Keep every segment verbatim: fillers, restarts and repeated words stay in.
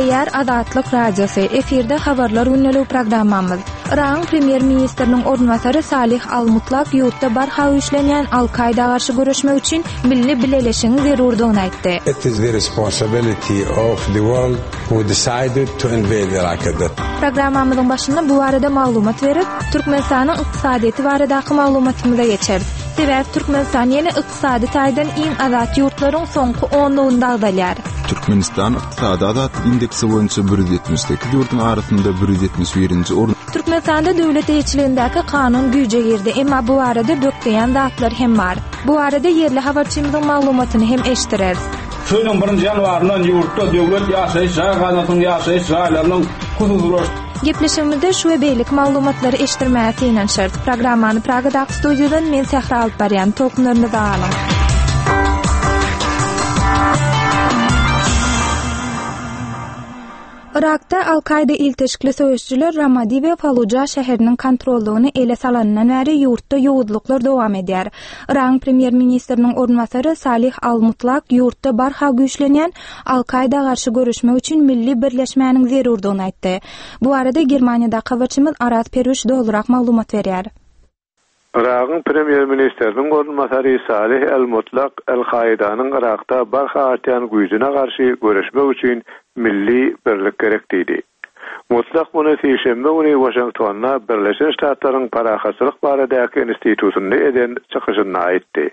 Gürleýär Azatlyk Radiosy. Efirde Habarlar gündeligi programmamyz. Yragyň premýer-ministriniň orunbasary Salih Al-Mutlak ýurtda barha güýçlenýän Al-Kaýda garşy göreşmek üçin milli bileleşigiň zerurdygyny aýtdy. It is the responsibility of the world who decided to invade Iraq at that Programmamyzyň başynda bu barada maglumat berip, Türkmenistanyň ykdysadyýeti baradaky maglumatymyza geçeris. Sebäbi Türkmenistan ýene ykdysady taýdan iň azat ýurtlaryň soňky onlugynda agzalýar. Türkmenistan ykdysady azatlyk indeksi boýunça bir ýüz ýetmiş sekiz ýurduň arasynda bir ýüz ýetmiş birinji orun. Türkmenistanda döwlet eýeçiligindäki kanun güýje girdi, emma bu barada bökdeýän zatlar hem bar. Bu barada ýerli habarçymyzyň maglumatyny hem eşitdireris. Şu ýylyň birinji ýanwaryndan ýurtda döwlet ýaşaýyş jaý gaznasynyň ýaşaýyş jaýlarynyň hususylaş Gepleşigimizde şu we beýleki maglumatlary eşitdirmäge synanyşarys. Programmany Pragadaky studiýadan men Sähra alyp barýan. Tolkunlarymyzy alyň. Yrakda Al-Kaýda ilteşikli söweşijiler Ramadi we Faluja şäheriniň kontrollygyny ele salanyndan bäri ýurtda ýowuzlyklar dowam edýär. Yragyň premýer-ministriniň orunbasary Salih Al-Mutlak ýurtda barha güýçlenýän Al-Kaýda garşy göreşmek üçin milli birleşmäniň zerurdygyny aýtdy. Bu barada Germaniýadaky habarçymyz Araz Perwiş dolurak maglumat berýär. Yragyň premýer-ministriniň orunbasary Salih Al-Mutlak Al-Kaýdanyň Yrakda barha artýan güýjüne garşy göreşmek üçin milli birlik gerek diýdi. Mutlak muny sişenbe güni Waşingtonda Birleşen Ştatlaryň Parahatçylyk baradaky institutynda eden çykyşynda aýtdy.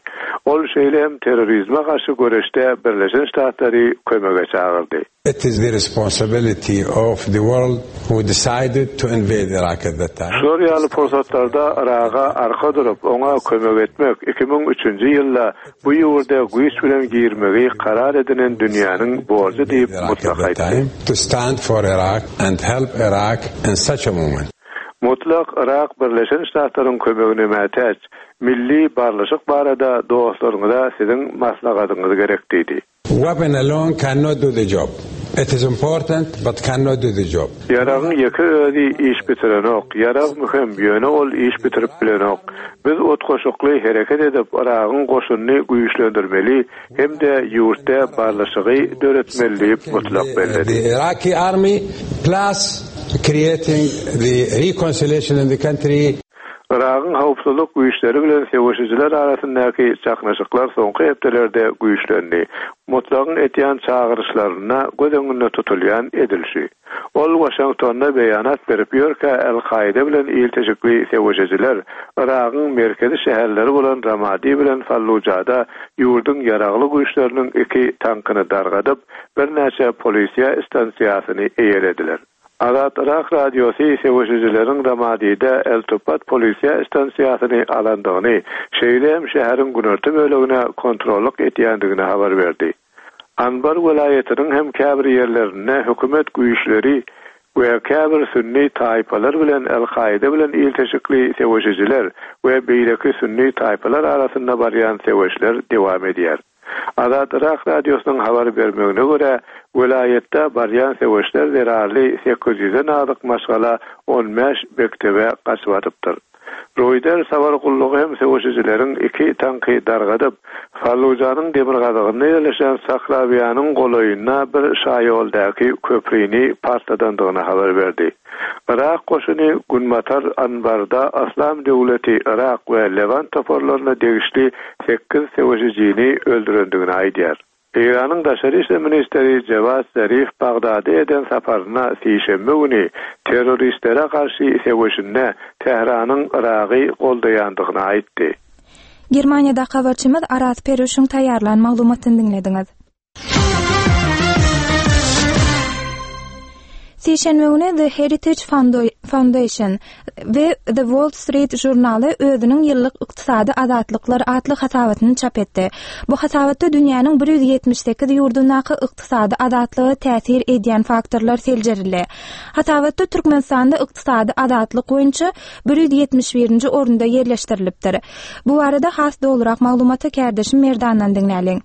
Ol şeýle hem terrorizme garşy göreşde Birleşen Ştatlary kömege çagyrdy. It is the responsibility of the world who decided to invade Iraq at that time. Şol ýaly pursatlarda Yraga arka durup, oňa kömek etmek iki müň üçünji ýylda bu ýurda güýç bilen girmegi karar edinen dünýäniň borjy diýip Mutlak aýtdy. To stand for Iraq and help Iraq in such a moment. Mutlak Yrak Birleşen Ştatlaryň kömegine mätäç, milli barlyşyk barada dostlaryňyza siziň maslahatyňyz gerek diýdi. Weapon alone cannot do the job. It is important, but cannot do the job. Ýaragyň ýeke özi iş bitirenok. Ýarag möhüm, ýöne ol iş bitirip bilenok. Biz utgaşykly hereket edip, Yragyň goşunyny güýçlendirmeli hem-de ýurtda barlyşygy döretmeli diýip Mutlak belledi. The Iraqi army plus creating the reconciliation in the country. Yragyň howpsuzlyk güýçleri bilen söweşijiler arasyndaky çaknyşyklar soňky hepdelerde güýçlendi. Mutlagyň etýän çagyryşlaryna göz öňünde tutulýan edilşi. Ol Waşingtonda beýanat berip ýörkä El-Kaýda bilen ilteşikli söweşijiler Yragyň merkezi şäherleri bolan Ramadi bilen Fallujada ýurduň ýaragly güýçleriniň iki tankyny dargadyp, birnäçe polisiýa stansiýasyny eýelediler. Azat Yrak radiosy söweşijileriň Ramadide El-Tupat polisiýa stansiýasyny alandygyny, şeýle hem şäheriň günorta bölegine kontrollyk etýändigini habar berdi. Anbar welaýatynyň hem käbir ýerlerinde hökümet güýçleri we käbir sünni taýpalar bilen El-Kaýda bilen ilteşikli söweşijiler we beýleki sünni taýpalar arasynda barýan söweşler dowam edýär. Azat Yrak radiosynyň habar bermegine görä, welaýatda barýan söweşler zerarly sekiz ýüzden azyk maşgala on bäş mektebe gaçyp atypdyr. Reuters habar gullugy hem söweşijileriň iki tanky dargadyp, Fallujanyň demirgazygynda ýerleşen Sakrawiýanyň golaýynda bir şaýoldaky köprüni partladandygyny habar berdi. Yrak goşuny Günbatar Anbarda Yslam döwleti Yrak we Levant toparlaryna degişli sekiz söweşijini öldürendigini aýdýar. Eýranyň daşary işler ministri Jewad Zarif Bagdada eden saparyna sişenbe güni terroristlere garşy söweşinde Tähranyň Yragy goldaýandygyny aýtdy. Germaniýada habarçymyz Araz Peruşyň taýýarlan maglumatyny diňlediňiz. Sişenbe güni The Heritage Foundation we The Wall Street Journaly özüniň ýyllyk ykdysady azatlyklar atly hasabatyny çap etdi. Bu hasabatda dünýäniň bir ýüz ýetmiş sekiz ýurdundaky ykdysady azatlyga täsir edýän faktorlar seljerildi. Hasabatda Türkmenistanda ykdysady azatlyk boýunça bir ýüz ýetmiş birinji orunda ýerleşdirilipdir. Bu barada has dolurak maglumaty kärdeşim Merdandan diňläliň.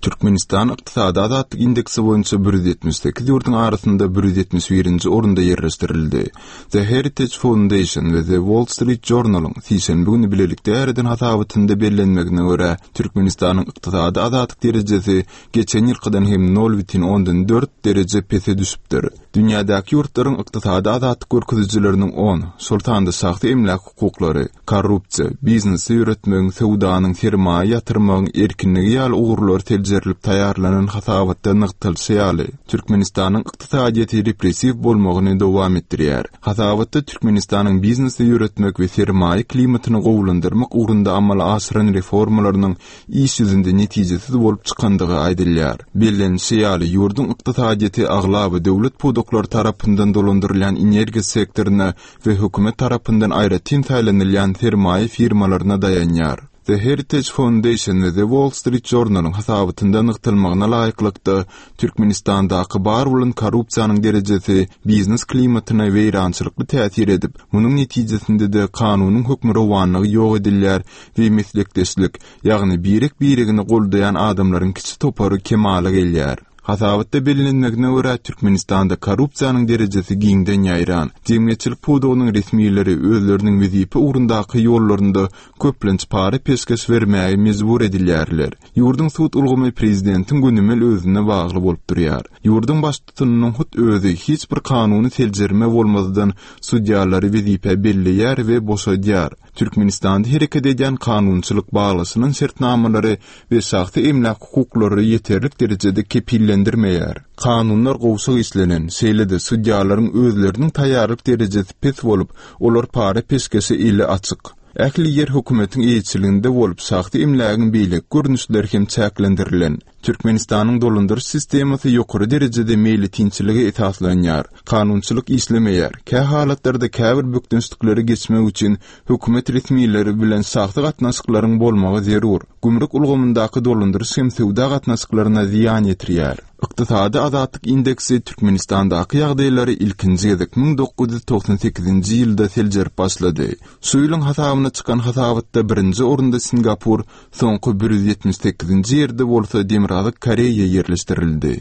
Türkmenistan ykdysady azatlyk indeksi boýunça bir ýüz ýetmiş sekiz ýurduň arasynda bir ýüz ýetmiş birinji orunda ýerleşdirildi. The Heritage Foundation we The Wall Street Journalyň sişenbe güni bilelikde ýaýradan hasabatynda bellenmegine görä, Türkmenistanyň ykdysady azatlyk derejesi geçen ýylkydan hem nol bütin ondan dört dereje pese düşüpdir. Dünýädäki ýurtlaryň ykdysady azatlyk görkezijileriniň on, şol sanda şahsy emläk hukuklary, korrupsiýa, biznesi ýöretmegiň, söwdanyň, sermaýa ýatyrmagyň erkinligi ýaly ugurlary seljerilip taýýarlanan hasabatda nygtalyşy ýaly, Türkmenistanyň ykdysadyýeti repressiw bolmagyny dowam etdirýär. Hasabatda Türkmenistanyň biznesi ýöretmek we sermaýa klimatyny gowulandyrmak ugrunda amala aşyran reformalarynyň iş ýüzünde netijesiz bolup çykandygy aýdylýar. Bellenişi ýaly, ýurduň ykdysadyýeti aglaba döwlet pudaklary tarapyndan dolandyrylýan energiýa sektoryna we hökümet tarapyndan aýratyn saýlanylýan sermaýa firmalaryna daýanýar. The Heritage Foundation we The Wall Street Journalyň hasabatynda nygtalmagyna laýyklykda, Türkmenistandaky bar bolan korrupsiýanyň derejesi biznes klimatyna weýrançylykly täsir edip, munuň netijesinde-de kanunyň hökmürowanlygy ýok edilýär we meslekdeşlik, ýagny birek-biregini goldaýan adamlaryň kiçi topary kemala gelýär. Hasabatda bellenmegine görä, Türkmenistanda korrupsiýanyň derejesi giňden ýaýran. Jemgyýetçilik pudagynyň resmileri özleriniň wezipe ugrundaky ýollarynda köplenç para peşgeş bermäge mejbur edilýärler. Ýurduň sud ulgamy prezidentiň gönümel özüne bagly bolup durýar. Ýurduň baştutanynyň hut özi hiç bir kanuny seljerme bolmazdan sudýalary wezipä belleýär we boşadýar. Türkmenistanda hereket edýän kanunçylyk baglaşylan şertnamalary we şahsy emläk hukuklary ýeterlik derejede kepillendirmeýär. Kanunlar gowşak işlenen, şeýle-de sudýalaryň özleriniň taýýarlyk derejesi pes bolup, olar para peşgeşe eli açyk. Ähli ýer hökümetiň eýeçiliginde bolup, şahsy emlägiň beýleki görnüşleri hem çäklendirilen. Türkmenistanyň dolandyryş sistemasy ýokary derejede meýletinçilige esaslanýar. Kanunçylyk işlemeýär. Kä halatlarda käbir bökdençlikleri geçmek üçin hökümet resmileri bilen şahsy gatnaşyklaryň bolmagy zerur. Gümrük ulgamyndaky dolandyryş hem söwda gatnaşyklaryna zyýan ýetirýär. Ykdysady azatlyk indeksi Türkmenistandaky ýagdaýlary ilkinji gezek müň dokuz ýüz togsan sekizinji ýylda seljerip başlady. Şu ýylyň hasabyna çykan hasabatda birinji orunda Singapur, soňky bir ýüz ýetmiş sekizinji ýerde bolsa Demirgazyk Koreýa ýerleşdirildi.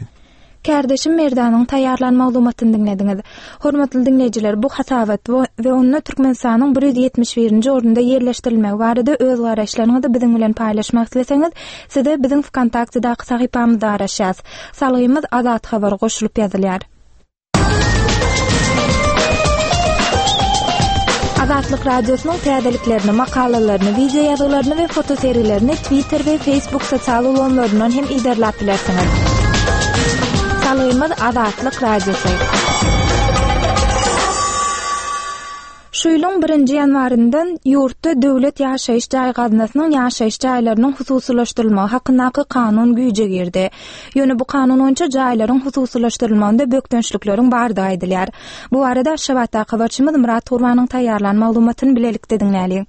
Kärdeşim Merdanyň taýýarlan maglumatyny diňlediňiz. Hormatly diňleýjiler, bu hasabat we onda Türkmenistanyň bir ýüz ýetmiş birinji orunda ýerleşdirilmegi barada öz garaýyşlaryňyzy biziň bilen paýlaşmak isleseňiz, size biziň Vkontaktedaky sahypamyzda garaşýas. Salgymyz Azat Habar goşulyp ýazylýar. Azatlyk Radiosynyň täzeliklerini, makalalaryny, video ýazgylaryny we fotosergilerini Twitter we Facebook sosial ulgamlaryndan hem iderläp bilersiňiz. Salgymyz Azatlyk Radiosy. Şu ýylyň birinji ýanwaryndan ýurtda döwlet ýaşaýyş jaý gaznasynyň ýaşaýyş jaýlarynyň hususylaşdyrylmagy hakyndaky kanun güýje girdi. Ýöne bu kanun boýunça jaýlaryň hususylaşdyrylmagynda bökdençlikleriň bardygy aýdylýar. Bu barada Aşgabatdaky habarçymyz Murat Gurbanyň taýýarlan maglumatyny bilelikde diňläliň.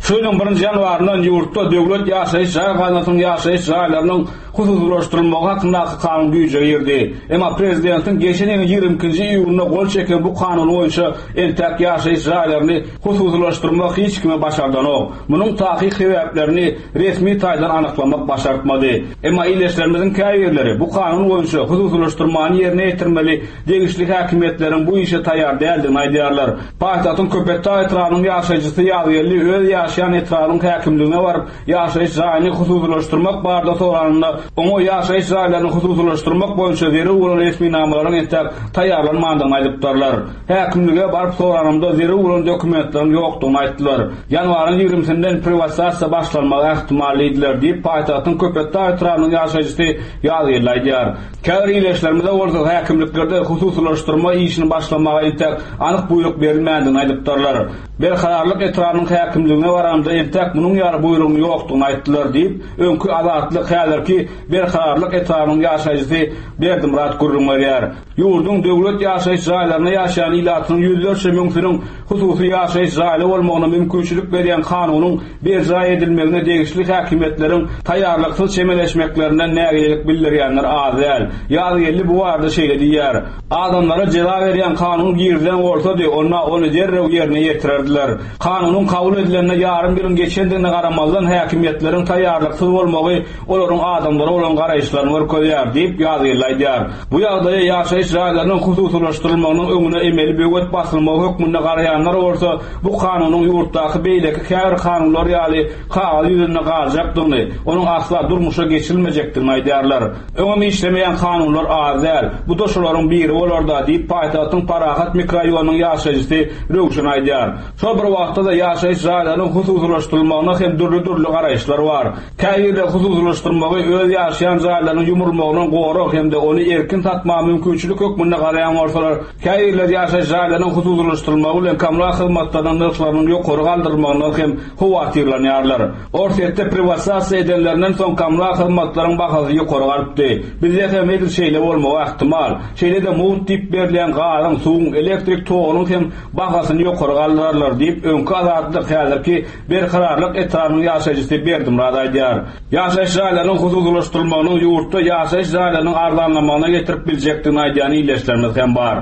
Şu ýylyň birinji ýanwaryndan ýurtda döwlet ýaşaýyş jaý gaznasynyň ýaşaýyş jaýlarynyň hususylaşdyrylmagy hakyndaky kanun güýje girdi. Emma prezidentiň geçen ýylyň ýigrimi ikinji iýunynda gol çeken bu kanun boýunça entäk ýaşaýyş jaýlaryny hususylaşdyrmak hiç kime başardanok. Munuň takyk sebäplerini resmi taýdan anyklamak başartmady. Emma iýleşlerimiziň käbirleri bu kanun boýunça hususylaşdyrmany ýerine ýetirmeli degişli häkimiýetleriň bu işe taýýar däldigini aýdýarlar. Paýtagtyň Köpetdag etrabynyň ýaşaýjysy Ýazgeldi öz ýaşaýan etrabyň häkimligine baryp, ýaşaýyş jaýyny hususylaşdyrmak barada soranynda, oňa ýaşaýyş jaýlaryny hususylaşdyrmak boýunça zerur bolan resminamalaryň entäk taýýarlanmandygyny aýdypdyrlar. Häkimlige baryp soranymda zerur bolan dokumentleriň ýokdugyny aýtdylar. Ýanwaryň ýigrimisinden privatizasiýa başlanmagy ähtimal diýdiler diýip, paýtagtyň Köpetdag etrabynyň ýaşaýjysy Ýazgeldi aýdýar. Käbir iýleşlerimize bolsa häkimliklerde hususylaşdyrma işini başlamaga entäk anyk buýruk berilmändigini aýdypdyrlar. Berkararlyk etrabynyň häkimligine baranda entäk munuň ýaly buýrugyň ýokdugyny aýtdylar diýip, öňki Azatlyk häzirki Berkararlyk etrabynyň ýaşaýjysy Berdimyrat gürrüň berýär. Ýurduň döwlet ýaşaýyş jaýlaryna ýaşaýan ilatynyň ýüzlerçe müňsiniň hususy ýaşaýyş jaýly bolmagyna mümkinçilik berýän kanunyň berjaý edilmegine degişli häkimiýetleriň taýýarlyksyz çemeleşmeklerinden nägilelik bildirýänler az däl. Ýazgeldi bu barada şeýle diýýär: Adamlara jeza berýän kanun girizilen bolsady, onda ony derrew ýerine ýetirerdiler. berdiler. Kanunyň kabul edilenine ýarym ýylyň geçendigine garamazdan häkimiýetleriň taýýarlyksyz bolmagy olaryň adamlara bolan garaýyşlaryny görkezýär diýip ýazgyly aýdýar. Bu ýagdaýa ýaşaýyş jaýlarynyň hususylaşdyrylmagynyň öňüne emeli böwet basylmagy hökmünde garaýanlar bolsa bu kanunyň ýurtdaky beýleki käbir kanunlar ýaly kagyz ýüzünde galjakdygyny, onuň asla durmuşa geçirilmejekdigini aýdýarlar. Öňem işlemeýän kanunlar az däl. Bu da şolaryň biri bolar-da diýip paýtagtyň Parahat mikroraýonynyň ýaşaýjysy Röwşen aýdýar. Şol bir wagtda-da ýaşaýyş jaýlarynyň hususylaşdyrylmagyna hem dürli-dürli garaýyşlar bar. Käbirleri hususylaşdyrmagy öz ýaşaýan jaýlarynyň ýumurmagynyň gorag hem-de ony erkin satmaga mümkinçilik hökmünde garaýan bolsalar, käbirleri ýaşaýyş jaýlarynyň hususylaşdyrylmagy bilen kommunal hyzmatlarynyň nyrhlarynyň ýokary galdyrylmagyndan hem howatyrlanýarlar. Orsýetde privatizasiýa edenlerinden soň kommunal hyzmatlaryň bahasy ýokary galypdy. Bizde hem edil şeýle bolmagy ähtimal. Şeýle-de mugt diýip berilýän gazyň, suwuň, elektrik togunyň hem bahasyny ýokary galdyrarlar diýip öňki Azatlyk häzirki Berkararlyk etrabynyň ýaşaýjysy Berdimyrat aýdýar. Ýaşaýyş jaýlarynyň hususylaşdyrylmagynyň ýurtda ýaşaýyş jaýlarynyň arzanlamagyna getirip biljekdigini aýdýan ildeşlerimiz hem bar.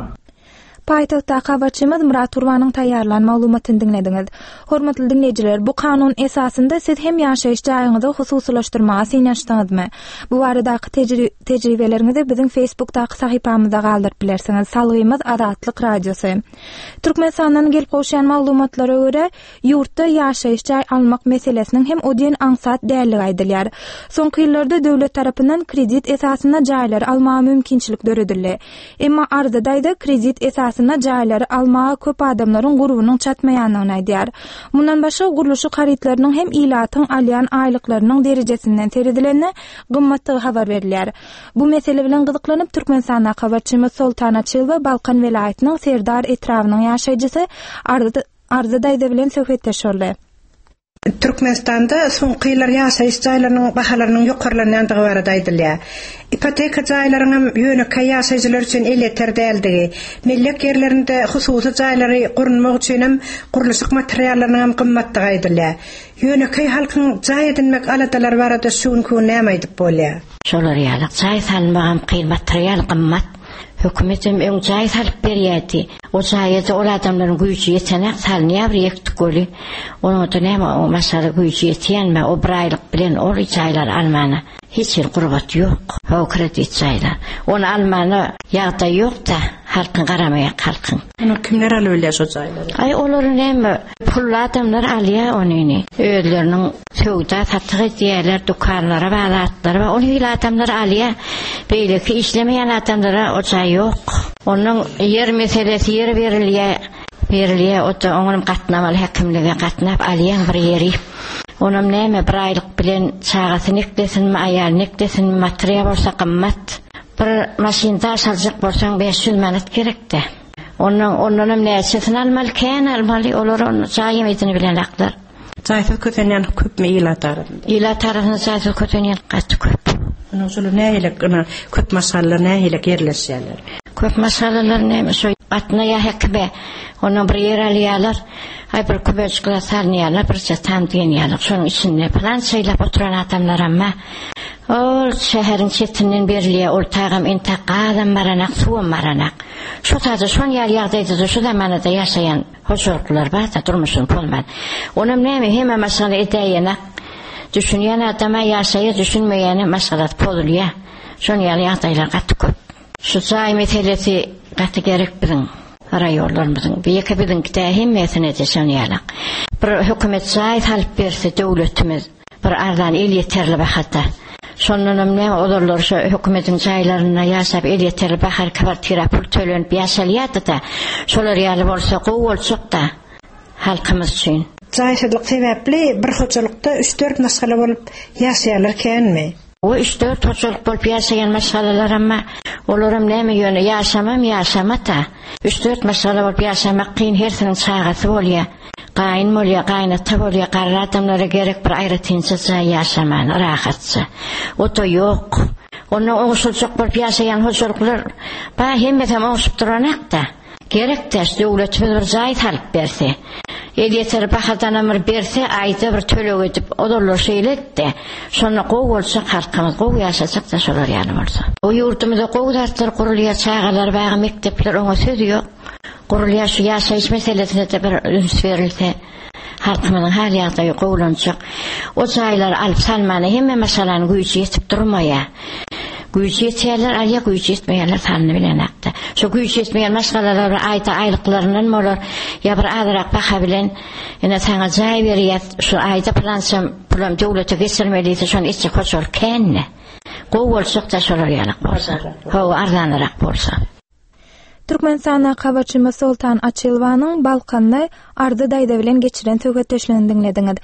Paýtagtdaky habarçymyz Murat Gurbanyň taýýarlan maglumatyny diňlediňiz. Hormatly diňleýjiler, bu kanun esasynda siz hem ýaşaýyş jaýyňyzy hususylaşdyrmaga synanyşdyňyzmy? Bu baradaky tejri-, tejribeleriňizi biziň Facebookdaky sahypamyzda galdyryp bilersiňiz. Salgymyz Azatlyk Radiosy. Türkmenistandan gelip gowşan maglumatlara görä, ýurtda ýaşaýyş jaý almak meselesiniň hem o diýen aňsat dälligi aýdylýar. Soňky ýyllarda döwlet tarapyndan kredit esasynda jaýlary almaga mümkinçilik döredildi. Emma Arda daýza kredit esasynda jaýlary almaga köp adamlaryň gurbunyň çatmaýandygyny aýdýar. Mundan başga gurluşyk harytlarynyň hem ilatyň alýan aýlyklarynyň derejesinden seredilende gymmatdygy habar berilýär. Bu mesele bilen gyzyklanyp Türkmenistandaky habarçymyz Soltan Açylowa Balkan welaýatynyň Serdar etrabynyň ýaşaýjysy Arda, Arda daýza bilen söhbetdeş boldy. Türkmenistanda soňky ýyllar ýaşaýyş jaýlarynyň bahalarynyň ýokarlanýandygy barada aýdylýar. Ipoteka jaýlarynyň hem ýönekeý ýaşaýjylar üçin elýeter däldigi, mellek ýerlerinde hususy jaýlary gurmak üçin hem gurluşyk materiallarynyň hem gymmatdygy aýdylýar. Ýönekeý halkyň jaý edinmek aladalary barada şu günki gün näme aýdyp bolýar? Şolar ýaly jaý salmagam kyn, material gymmat. Hökümet hem öň jaý salyp berýärdi. O jaýa ol adamlaryň güýji ýetenek salynýar bir ýektik göli. Onuň da näme o maşgala güýji ýetýänme o bir aýlyk bilen ol jaýlar almana hiç bir gurbat ýok. O kredit jaýlar. Ony almana ýagdaý ýok-da, halkyň garamaýak halkyň. Ony kimler alyp bilýär şo jaýlary? Aý olary näme pully adamlar alýar onyny. Özleriniň söwda satyk edýärler, dükanlara baglatlary bar. Ony hil adamlar alýar. Beýleki işlemeýän adamlara o jaý ýok. Onuň ýer meselesi ýer berilýär. Berilýär, o da onuň gatnamaly häkimlige gatnap alýan bir ýeri. Onam näme bir aýlyk bilen çagasyny eklesinmi, aýalyny eklesinmi, material bolsa gymmat. Bir maşyn daş aljak bolsaň beş ýüz manat gerekdi. Ondan ondanam näçesini almaly, kän almaly, olar onu jaý edini bilen aklar. Jaýsyz kösenýän köpmi ilat arasynda? Ilat arasynda jaýsyz kösenýän gaty köp. Onuň şolar nähili ýa köp maşgalalar nähili ýerleşýärler? Köp maşgalalar näme şo gatnaýa hekime. Ondan bir ýer alýarlar. Aý bir kübeçikler salynýarlar, bir tam diýen ýaly. Şonuň içinde plan şeýlap oturan adamlar amma ol şäheriň çetinden berilýär, ol tagam entek gazam baranak, suwam baranak. Şu taýda şon ýaly ýagdaýda şu zamanada ýaşaýan hojalyklar bar da durmuşyny bolman. Onam näme hemme maşgala edäýenak. Düşünýän adama ýaşaýar, düşünmeýäne maşgala pozulýar. Şon ýaly ýagdaýlar gaty köp. Şu jaý meselesi gaty gerek biziň raýonlarymyzyň. Bir ýeke biziň de hemmesine de şon ýaly. Bir hökümet jaý salyp berse döwletimiz bir arzan el ýeterli bahada. Şondan hem näme olarlar şu hökümetiň jaýlarynda ýaşap el ýeterli bahar kwartira pul tölenip ýaşalýardy da. Şolar ýaly bolsa gowy boljak da halkymyz üçin. Jaýsyzlyk sebäpli bir hojalykda üç dört maşgala bolup ýaşaýarlar känmi? O üç dört hojalyk bolup ýaşaýan maşgalalar amma olaram näme ýöne ýaşamam ýaşamata. Üç dört maşgala bolup ýaşamak kyn, hersiniň çagasy bolýar. Gaýyn bolýar, gaýynata bolýar, garry adamlara gerek bir aýratynça jaý ýaşaman, rahatça. O da ýok. Ondan oňşuljak bolup ýaşaýan hojalyklar ba hemmesi hem oňşup duranakda. Gerek täş döwletimiz bir jaý salyp berse. El ýeter bahadan bir berse, aýda bir töleg edip, olarlar şeýle etdi. Şonda gowy bolsa halkymyz gowy ýaşajak da şolar ýaly bolsa. O ýurdumyzda gowy zatlar gurulýar, çagalar bagy, mekdepler oňa söz ýok. Gurulýar şu ýaşaýyş meselesine de bir üns berilse, halkymyzyň hal ýagdaýy gowulanjak. O jaýlary alyp salmana hemme maşgalanyň güýji ýetip durmaýar. Güýji ýetýärler, alýa güýji ýetmeýärler salny bilen akda. Şu güýji ýetmeýän maşgalalar aýda aýlyklaryndan bolar, ýa bir azyrak baha bilen ene sana jaý berýär, şu aýda plançam pulam döwlete geçirmeliyse şonu etjek hoşal känne. Gowy bolsak da şolar ýalak bolsa. Hawa arzanrak bolsa. Türkmenistana habarçymyz Soltan Açylwanyň Balkanly Ardy daýza bilen geçiren söhbetdeşligini diňlediňiz.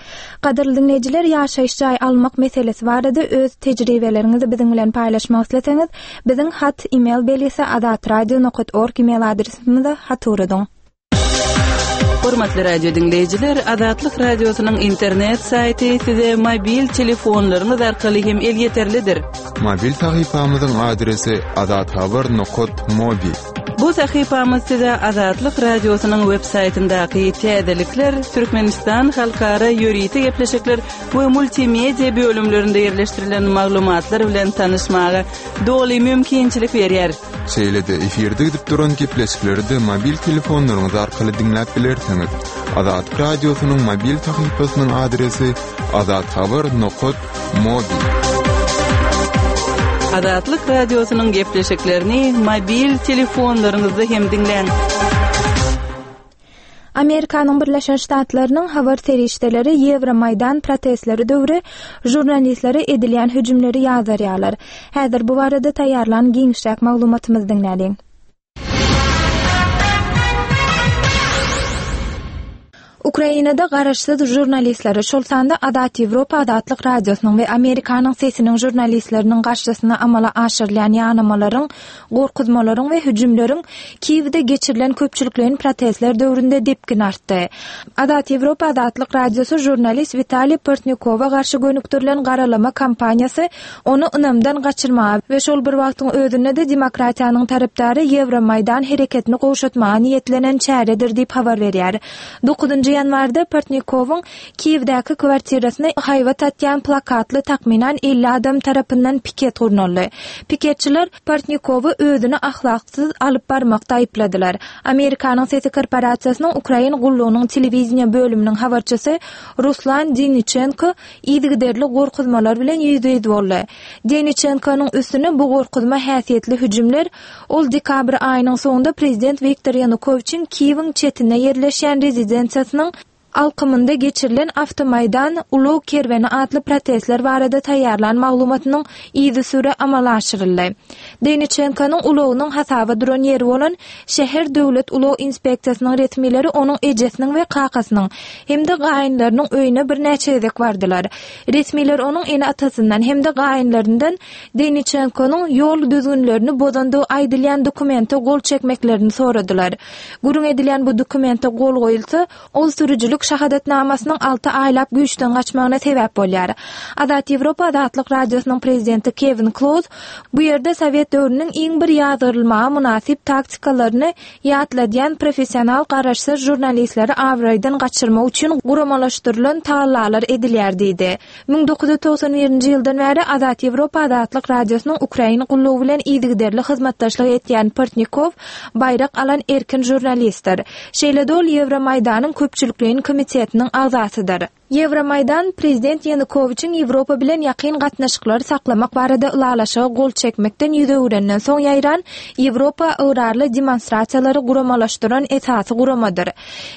Gadyrly diňleýjiler, ýaşaýyş jaý almak meselesi barada öz tejribeleriňizi biziň bilen paýlaşmak isleseňiz, biziň hat e-mail belgisi azatradio nokta org e-mail adresimize hat ugradyň. Hormatly radio dinleýjiler, Azatlyk radiosynyň internet saýty size mobil telefonlaryňyz arkaly hem elýeterlidir. Mobil sahypamyzyň adresi azathabar nokta mobi. Bu sahypamyz size Azatlyk radiosynyň web saýtyndaky täzelikler, Türkmenistan halkara ýörite gepleşikler we multimedia bölümlerinde ýerleşdirilen maglumatlar bilen tanyşmaga doly mümkinçilik berýär. Şeýle-de efirde gidip duran gepleşikleri de mobil telefonlaryňyz arkaly diňläp bilersiňiz. Azatlyk radiosynyň mobil sahypasynyň adresi azathabar nokta mobi. Azatlyk radiosynyň gepleşiklerini mobil telefonlaryňyzda hem diňläň. Amerikanyň Birleşen Ştatlarynyň habar serişdeleri Ýewromaýdan protestleri döwri žurnalistlere edilýän hüjümleri ýazarýarlar. Häzir bu barada taýýarlan giňişräk maglumatymyzy diňläliň. Ukrainada garaşsyz žurnalistleri, şol sanda Azat Ýewropa Azatlyk Radiosynyň we Amerikanyň sesiniň žurnalistleriniň garşysyna amala aşyrylýan ýanamalaryň, gorkuzmalaryň we hüjümleriň Kiýewde geçirilen köpçülikleýin protestler döwründe depgin artdy. Azat Ýewropa Azatlyk Radiosy žurnalist Witaliý Portnikowa garşy gönükdirilen garalama kampaniýasy ony ynamdan gaçyrmaga we şol bir wagtyň özünde de demokratiýanyň tarapdary Ýewromaýdan hereketini gowşatmaga niýetlenen çäredir diýip habar berýär. Dokuzynjy ýanwarda Portnikowyň Kiýewdäki kwartirasyna haýbat atýan plakatly takmynan elli adam tarapyndan piket gurnaldy. Piketçiler Portnikowy özüni ahlaksyz alyp barmakda aýypladylar. Amerikanyň Sesi korporasiýasynyň Ukrain gullugynyň telewiziýa bölüminiň habarçysy Ruslan Deniçenko yzygiderli gorkuzmalar bilen ýüzbe-ýüz boldy. Deniçenkonyň üstüne bu gorkuzma häsiýetli hüjümler ol dekabr aýynyň soňunda prezident Wiktor Ýanukowiçiň Kiýewiň çetinde ýerleşýän rezidensiýasynyň alkymynda geçirilen Awtomaýdan ulag kerweni atly protestler barada taýýarlan maglumatynyň yzysüre amala aşyryldy. Deniçenkonyň ulagynyň hasaba duran ýeri bolan şäher döwlet ulag inspeksiýasynyň resmileri onuň ejesiniň we kakasynyň hem-de gaýynlarynyň öýüne birnäçe gezek bardylar. Resmiler onuň ene atasyndan hem-de gaýynlaryndan Deniçenkonyň ýol düzgünlerini bozandygy aýdylýan dokumente gol çekmeklerini soradylar. Gürrüň edilýän bu dokumente gol goýulsa, ol sürüjilik şahadatnamasynyň alty aýlap güýçden gaçmagyna sebäp bolýar. Azat Ýewropa Azatlyk Radiosynyň prezidenti Kevin Kloz bu ýerde Sowet döwrüniň iň bir ýazgyrylmaga mynasyp taktikalaryny ýatladýan professional garaşsyz žurnalistleri abraýdan gaçyrmak üçin guramalaşdyrylan tagallalar edilýär diýdi. Müň dokuz ýüz togsan birinji ýyldan bäri Azat Ýewropa Azatlyk Radiosynyň Ukrain gullugy bilen yzygiderli hyzmatdaşlyk etýän Portnikow baýrak alan erkin žurnalistdir. Şeýle-de ol Ýewromaýdanyň köpçülikleýin komitetiniň agzasydyr. Ýewromaýdan prezident Ýanukowiçiň Ýewropa bilen ýakyn gatnaşyklary saklamak barada ylalaşyga gol çekmekden ýüz öwrenden soň ýaýran Ýewropa ygrarly demonstrasiýalary guramalaşdyran esasy guramadyr.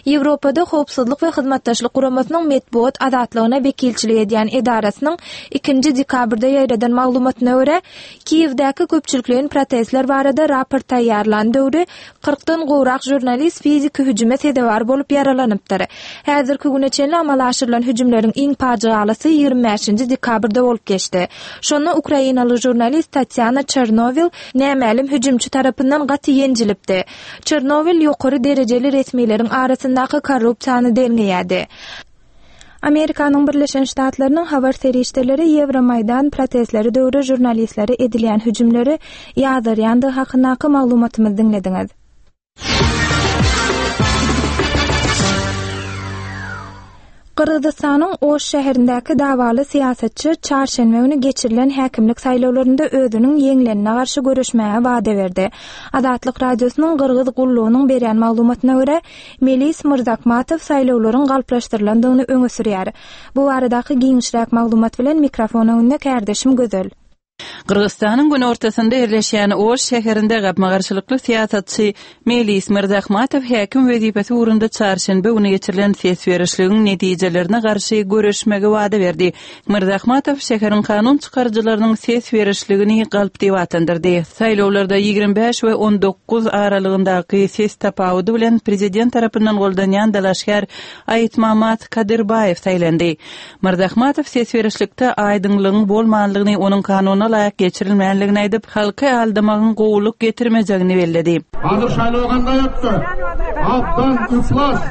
Ýewropada Howpsuzlyk we Hyzmatdaşlyk guramasynyň metbugat azatlygyna wekilçilik edýän edarasynyň ikinji dekabrda ýaýradan maglumatyna görä, Kiýewdäki köpçülikleýin protestler barada raport taýýarlan döwri kyrkdan gowrak žurnalist fiziki hüjüme sezewar bolup ýaralanypdyr. Häzirki güne çenli amala aşyrylan hüjümleriň iň pajygalysy ýigrimi bäşinji dekabrda bolup geçdi. Şonda ukrainaly žurnalist Tatýana Çernowil nämälim hüjümçi tarapyndan gaty ýenjilipdi. Çernowil ýokary derejeli resmileriň arasyndaky korrupsiýany derňeýärdi. Amerikanyň Birleşen Ştatlarynyň habar serişdeleri Ýewromaýdan protestleri döwri žurnalistlere edilýän hüjümleri ýazarýandygy hakyndaky maglumatymyzy diňlediňiz. Gyrgyzystanyň Oş şäherindäki dawaly syýasatçy çarşenbe güni geçirilen häkimlik saýlawlarynda özüniň ýeňlenine garşy göreşmäge wada berdi. Azatlyk Radiosynyň Gyrgyz gullugynyň berýän maglumatyna görä, Melis Myrzakmatow saýlawlaryň galplaşdyrylandygyny öňe sürýär. Bu baradaky giňişräk maglumat bilen mikrofon öňünde kärdeşim Gözel. Gyrgyzystanyň günortasynda ýerleşýän Oş şäherinde gapma-garşylykly syýasatçy Melis Myrzakmatow häkim wezipesi ugrunda çarşenbe güni geçirilen ses berişligiň netijelerine garşy göreşmegi wada berdi. Myrzakmatow şäheriň kanun çykaryjylarynyň ses berişligini galp diýip atlandyrdy. Saýlawlarda ýigrimi bäş we on dokuz aralygyndaky ses tapawudy bilen prezident tarapyndan goldanýan dalaşgär Aýtmamat Kadyrbaýew saýlandy. Myrzakmatow ses berişlikde aýdyňlygyň bolmanlygyny, onuň kanuna laýyk geçirilmänligini aýdyp, halky aldamagyň gowulyk getirmejegini belledi. Hazır şaýlaw ganday ötdi? Abdan iflas,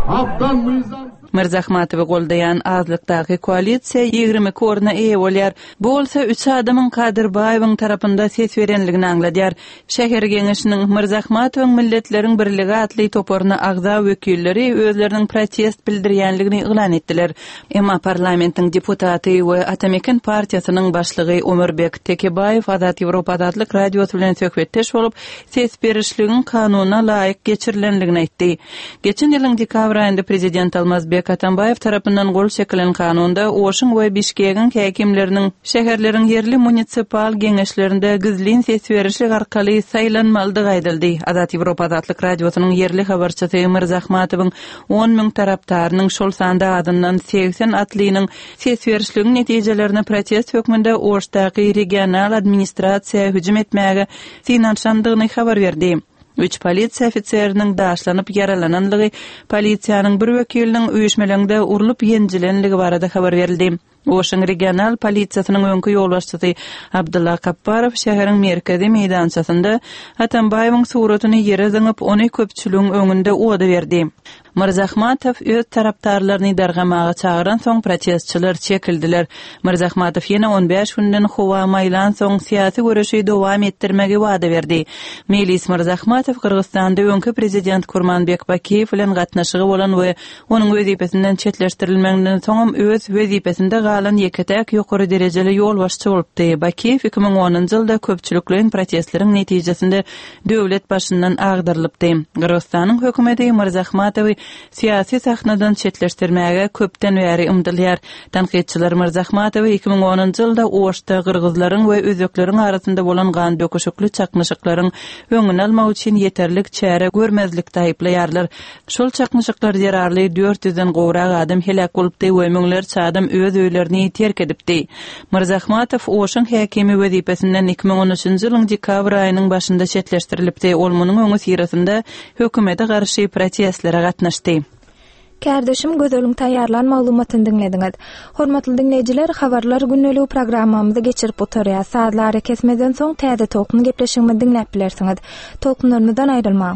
abdan mizan. Myrzakmatowy goldaýan azlykdaky koalisiýa ýigrimi iki orna eýe bolýar. Bu bolsa üç adamyň Kadyrbaýewiň tarapynda ses berenligini aňladýar. Şäher geňeşiniň Myrzakmatowyň Milletleriň Birligi atly toparyna agza wekilleri özleriniň protest bildirýänligini yglan etdiler. Emma parlamentiň deputaty we Atameken partiýasynyň başlygy Omurbek Tekebaýew Azat Ýewropa Azatlyk Radiosy bilen söhbetdeş bolup, ses berişligiň kanuna laýyk geçirilenligini aýtdy. Geçen ýylyň dekabr aýynda prezident Almazbek Atambaýew tarapyndan gol çekilen kanunda Oşuň we Bişkegiň häkimleriniň şäherleriň ýerli munisipal geňeşlerinde gizlin ses berişlik arkaly saýlanmalydygy aýdyldy. Azat Ýewropa Azatlyk Radiosynyň ýerli habarçysy Myrzakmatowyň on müň tarapdarynyň şol sanda adyndan segsen atlynyň ses berişligiň netijelerine protest hökmünde Oşdaky regional administrasiýa hüjüm etmäge synanyşandygyny habar berdi. Üç polisiýa ofiseriniň daşlanyp ýaralananlygy, polisiýanyň bir wekiliniň üýşmeleňde urlup ýenjilenligi barada habar berildi. Oşuň regional polisiýasynyň öňki ýolbaşçysy Abdulla Kapparow şäheriň merkezi meýdançasynda Atambaýewiň suratyny ýere zyňyp, ony köpçüligiň öňünde oda berdi. Myrzakmatow öz tarapdarlaryny dargamaga çagyran soň protestçiler çekildiler. Myrzakmatow ýene on bäş günden howa maýlan soň syýasy göreşi dowam etdirmegi wada berdi. Melis Myrzakmatow Gyrgyzystanda öňki prezident Kurmanbek Bakiýew bilen gatnaşygy bolan we onuň wezipesinden çetleşdirilmeginden soňam öz wezipesinde galan ýeke-täk ýokary derejeli ýolbaşçy bolupdy. Bakiýew iki müň onunjy ýylda köpçülikleýin protestleriň netijesinde döwlet başyndan agdarylypdy. Gyrgyzystanyň hökümeti Myrzakmatowy syýasy sahnadan çetleşdirmäge köpden bäri ymdylýar. Tankytçylar Myrzakmatowy iki müň onunjy ýylda Oşda gyrgyzlaryň we özbekleriň arasynda bolan gan döküşikli çaknyşyklaryň öňüni almak üçin ýeterlik çäre görmezlikde aýyplaýarlar. Şol çaknyşyklar zerarly dört ýüzden gowrak adam heläk bolupdy we müňlerçe adam öz öýlerini terk edipdi. Myrzakmatow Oşuň häkimi wezipesinden iki müň on üçünji ýylyň dekabr aýynyň başynda çetleşdirilipdi. Ol munuň öňi syrasynda hökümete garşy protestlere gatnaşdy. Kärdeşim Gözeliň taýýarlan maglumatyny diňlediňiz. Hormatly diňleýjiler, habarlar gündelik programmamyzy geçirip oturýar. Sazlary kesmeden soň täze tolkun gepleşigimizi diňläp bilersiňiz. Tolkunlarymyzdan aýrylmaň.